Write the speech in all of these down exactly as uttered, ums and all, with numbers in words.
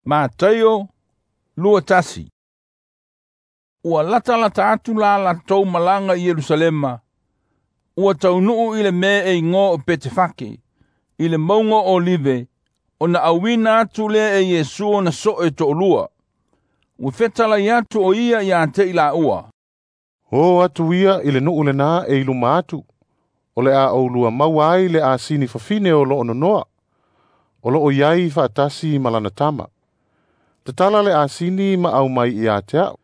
Mataio lua tasi. Ua latalata atu la latou malaga i Ierusalema, ua taunuu i le mea e igoa o Petefake, i le mauga o Olive, ona auina atu lea e Iesu ona soo e toalua. Ua fetalai atu o ia ia te i laua. O atu ia i le nuu lena e i luma atu, o le a oulua maua ai le asini fafine o loo nonoa, o loo iai faatasi ma lana tama. Tatala le asini ma au mai ia te au.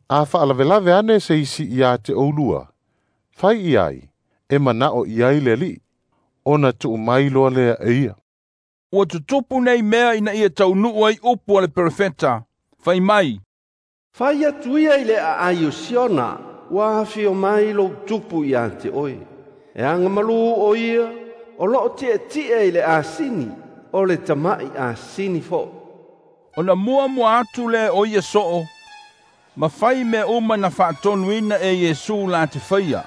A faalavelave ane se isi ia te oulua, fai i ai, e manao i ai le alii, ona tuu mai loa lea e ia. Ua tutupu nei mea ina ia taunuu ai upu a le perofeta, fai mai, Fai atu ia i le aai o Siona, ua afio mai lou tupu ia te oe. E agamalu o ia, o loo tietie i le asini, o le tamai asini fo'i. Ona muamua atu lea o ia soo, ma fai mea uma na faatonuina e Iesu la te faia.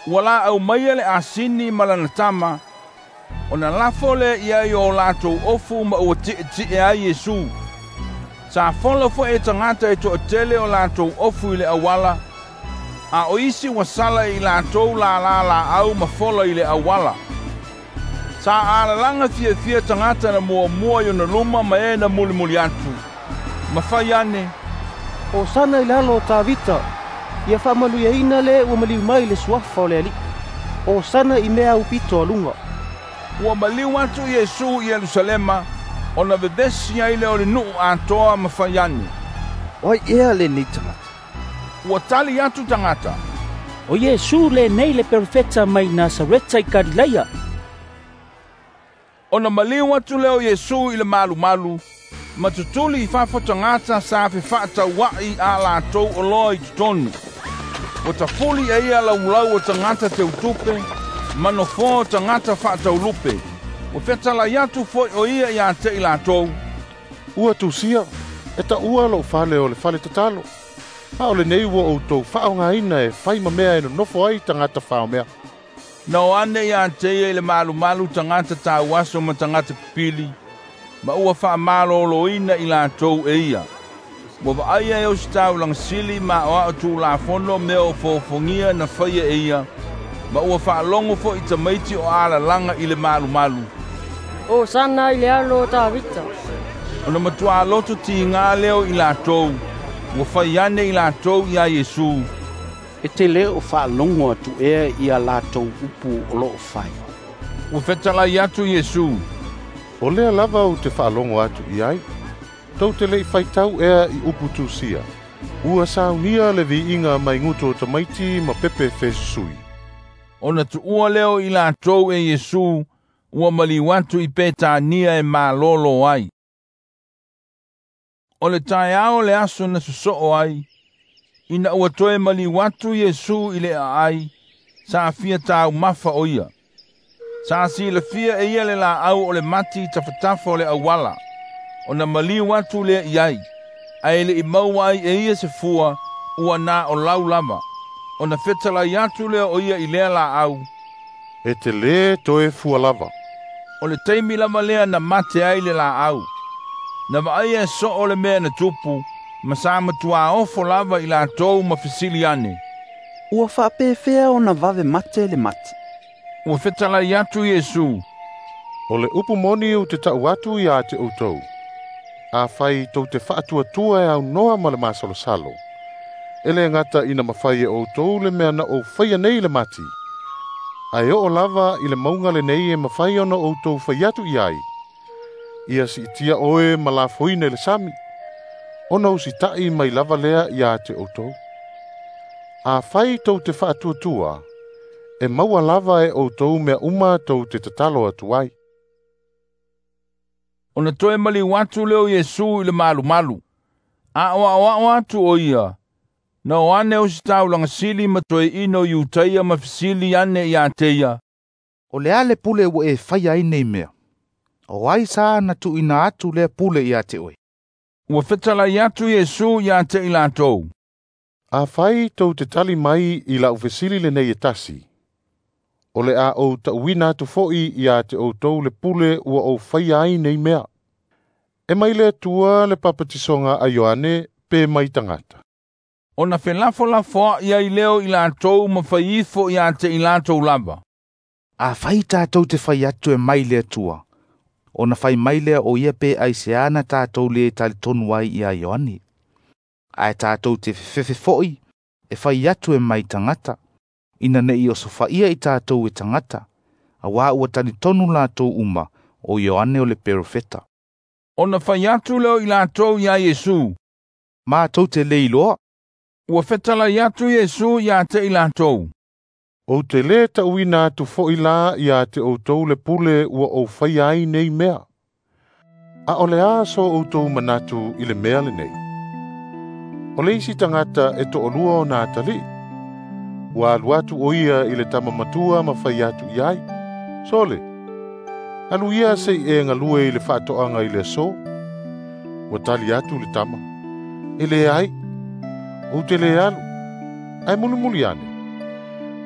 Ua la au maia le asini ma lana tama, ona lafo lea i ai o latou ofu ma ua tietie ai Iesu. Sa fola foi e tagata e toatele o latou ofu i le auala, a o isi ua sala i latou lala laau ma fola i le auala. Sa alalaga fiafia tagata na muamua i ona luma ma e na mulimuli atu. Ma fai ane, Osana i lalo o Tavita, ia faamanuiaina le ua maliu mai le suafa o le Alii. Osana i mea aupito a luga. Ua maliu atu Iesu i Ierusalema, ona vevesi ai lea o le nuu atoa ma fai ane, O ai ea lenei tagata? Ua tali atu tagata, O Iesu lenei le perofeta mai Nasareta i Kalilaia. Ona maliu atu lea o Iesu i le malumalu, ma tutuli i fafo tagata sa fefaatauai a latou oloa i totonu. Ua tafuli e ia laulau o tagata teutupe, ma nofoa o tagata faataulupe. Ua fetalai atu foi o ia ia te i latou. Ua tusia, e taua lou fale o le fale tatalo. A o lenei ua outou faaaogaina e fai ma mea e nonofo ai tagata faomea. Na o ane ia te ia i le malumalu tagata tauaso ma tagata pipili, ma ua faamaloloina i latou e ia. Ua vaaia e ositaulaga sili ma oao tulafono mea o fofogia na faia e ia, ma ua faalogo foi i tamaiti o alalaga i le malumalu. Osana i le alo o Tavita. Ona matua loto tiga leo i latou, ua fai ane i latou ia Iesu. E te le o faalogo atu ea ia latou upu o loo fai. Ua fetalai atu Iesu. O lea lava ou te faalogo atu i ai. Tou te lei faitau ea i upu tusia. Ua saunia le viiga mai gutu o tamaiti ma pepe fesusui. Ona tuua leo i latou e Iesu, ua maliu atu i Petania e malolo ai. O le taeao le aso na sosoo ai, ina ua toe maliu atu Iesu i le aai, sa fia taumafa o ia. Sa silafia e ia le laau o le mati i tafatafa o le auala, ona maliu atu lea i ai, ae le i maua ai e ia se fua, ua na o lau lava. Ona fetalai atu lea o ia i lea laau. E te lē toe fua lava. O le taimi lava lea na mate ai le laau. Na vaaia e soo le mea na tupu, ma sa matua ofo lava i latou ma fesili ane. Ua faapefea ona vave mate le mati. Ua fetalai atu Iesu. O le upu moni ou te tau atu ia te outou. A fai tou te faatuatua e aunoa ma le masalosalo, e le gata ina mafai e outou le mea na ou faia nei le mati. Ae oo lava i le mauga lenei e mafai ona outou fai atu i ai. Ia siitia oe ma lafoina i le sami, ona usitai mai lava lea ia te outou. A fai tou te faatuatua, e maua lava e outou mea uma tou te tatalo atu ai. Ona toe maliu atu lea o Iesu i le malumalu. A o aoao atu o ia, na o ane ositaulaga sili ma toeaina o Iutaia ma fesili ane ia te ia. O le a le pule ua e faia ai nei mea? O ai sa na tuuina atu lea pule ia te oe? Ua fetalai atu Iesu ia te i latou. A fai tou te tali mai i lau fesili lenei e tasi, o le a ou tauina atu foi ia te outou le pule ua ou faia ai nei mea. E mai le Atua le papatisoga a Ioane pe mai tagata. Ona felafolafoa'i ai lea o i latou ma fai ifo ia te i latou lava. Afai tatou te fai atu e mai le Atua, ona fai mai lea o ia pe aiseā na tatou lē talitonu ai iā Ioane. Ae tatou te fefefe fo'i e fai atu e mai tagata, ina ne'i osofaia i tatou e tagata, auā ua talitonu latou uma o Ioane o le perofeta. Ona fai atu lea o i latou iā Iesu. Matou te lē iloa. Ua fetalai atu Iesu ia te i latou. Ou te lē ta'uina atu fo'i la ia te outou le pule ua ou faia ai nei mea. A o le a so outou manatu i le mea lenei? O le isi tagata e to'alua ona atali'i. Ua alu atu o ia i le tama matua ma fai atu i ai. Sole, alu ia se'i e galue i le fa'ato'aga i le aso. Ua tali atu le tama. E leai, ou te lē alu, ae mulimuli ane.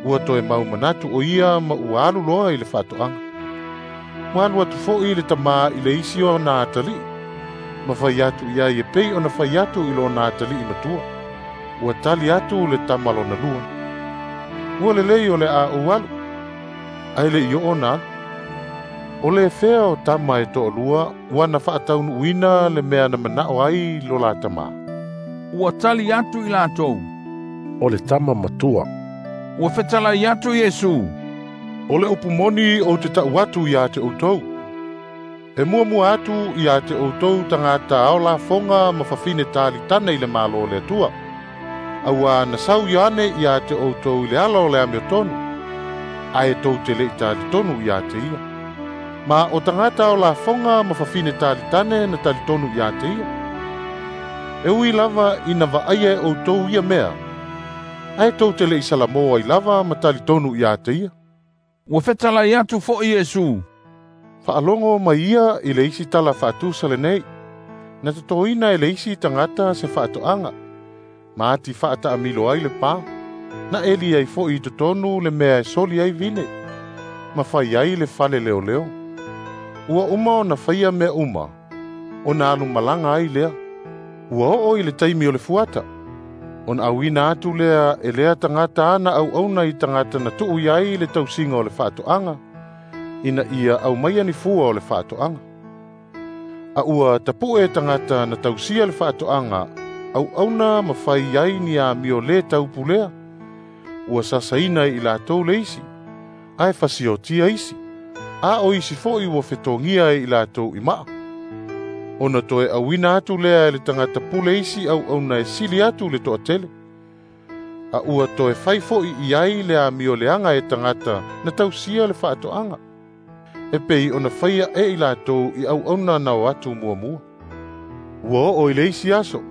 Ua toe mau manatu o ia ma ua alu loa i le fa'ato'aga. Ua alu atu fo'i le tamā i le isi ona atali'i, ma fai atu i ai e pei ona fai atu i lona atali'i matua. Ua tali atu le tama lona lua. Ua lelei o le a ou alu, ae le'i oo ona alu. O le fea o tama e to'alua ua na fa'ataunu'uina le mea na mana'o ai lo la tamā. Ua tali atu i latou. O le tama matua. Ua fetalai atu Iesu. O le upu moni ou te ta'u atu iā te outou. E muamua atu iā te outou tagata ao lafoga ma fafine talitane i le Malo o le Atua. Auā na sau Ioane iā te outou i le ala o le amiotonu, ae tou te le'i talitonu iā te ia. Ma o tagata ao lafoga ma fafine talitane na talitonu iā te ia. E ui lava ina va'aia e outou ia mea, ae tou te le'i salamō ai lava ma talitonu iā te ia. Ua fetalai atu fo'i Iesu. Fa'alogo mai ia i le isi tala fa'atusa lenei, na totoina e le isi tagata se fa'ato'aga, ma ati fa'ata'amilo ai le pā, na eli ai fo'i i totonu le mea e soli ai vine, ma fai ai le fale leoleo. Ua uma ona faia mea uma, ona alu malaga ai lea. Ua oo i le taimi o le fuata, ona auina atu lea e lea tagata ana auauna i tagata na tu'u i ai le tausiga o le fa'ato'aga, ina ia aumaia ni fua o le fa'ato'aga. A ua tapu'e tagata na tausia le fa'ato'aga auauna ma fai ai ni amio lē taupulea. Ua sasaina i latou le isi, ae fasiotia isi, a o isi fo'i ua fetogia e i latou i ma'a. Ona toe auina atu lea e le tagata pule isi auauna e sili atu le to'atele. A ua toe fai fo'i i ai le amio leaga e tagata na tausia le fa'ato'aga, e pei ona faia e i latou i auauna na o atu muamua. Ua oo i le isi aso,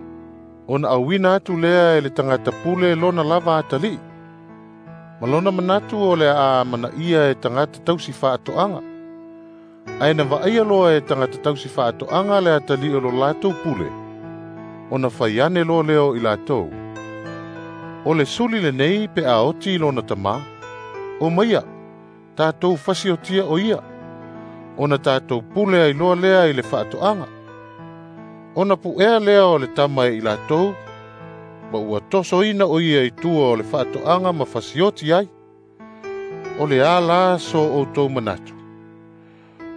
ona auina atu lea e le tagata pule lona lava atali'i, ma lona manatu o le a manaia e tagata tausi fa'ato'aga. Ae na va'aia loa e tagata tausi fa'ato'aga le atali'i o lo latou pule, ona fai ane loa lea o i latou. O le suli lenei pe a oti i lona tamā. O maia, tatou fasiotia o ia, ona tatou pule ai loa lea i le fa'ato'aga. Ona pu'ea lea o le tama e i latou, ma ua tosoina o ia i tua o le fa'ato'aga ma fasioti ai. O le a la so outou manatu?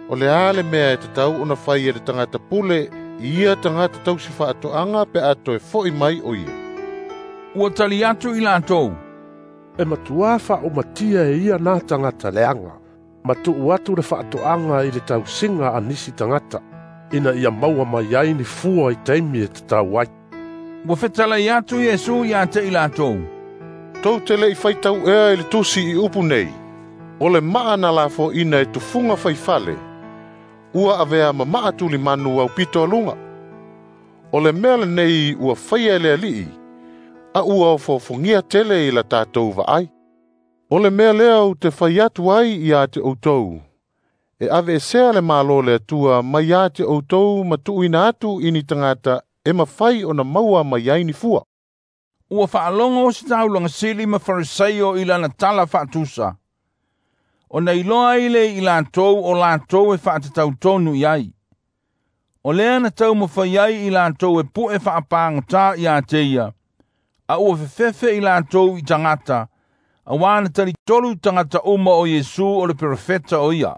O le a le mea e tatau ona fai e le tagata pule i ia tagata tausi fa'ato'aga pe a toe fo'i mai o ia. Ua tali atu i latou. E matuā fa'aumatia e ia na tagata leaga, ma tu'u atu le fa'ato'aga i le tausiga a nisi tagata, ina ia maua mai ai ni fua i taimi e tatau ai. Ua fetalai atu Iesu ia te i latou. Tou te le'i faitau ea i le tusi i upu nei, o le ma'a na lafo'ina e tufuga faifale, ua avea ma ma'a tulimanu aupito aluga. O le mea lenei ua faia e le Ali'i, a ua ofofogia tele i la tatou va'ai. O le mea lea ou te fai atu ai iā te outou, e aveesea le Malo o le Atua mai iā te outou ma tu'uina atu i ni tagata e mafai ona maua mai ai ni fua. Ua fa'alogo se taulaga sili ma Fariseio i lana tala fa'atusa. Ona iloa ai le i latou o latou e fa'atatautonu i ai. O lea na taumafai ai i latou e pu'e fa'apagotā iā te ia, a ua fefefe i latou i tagata, auā na talitolu tagata uma o Iesu o le perofeta o ia.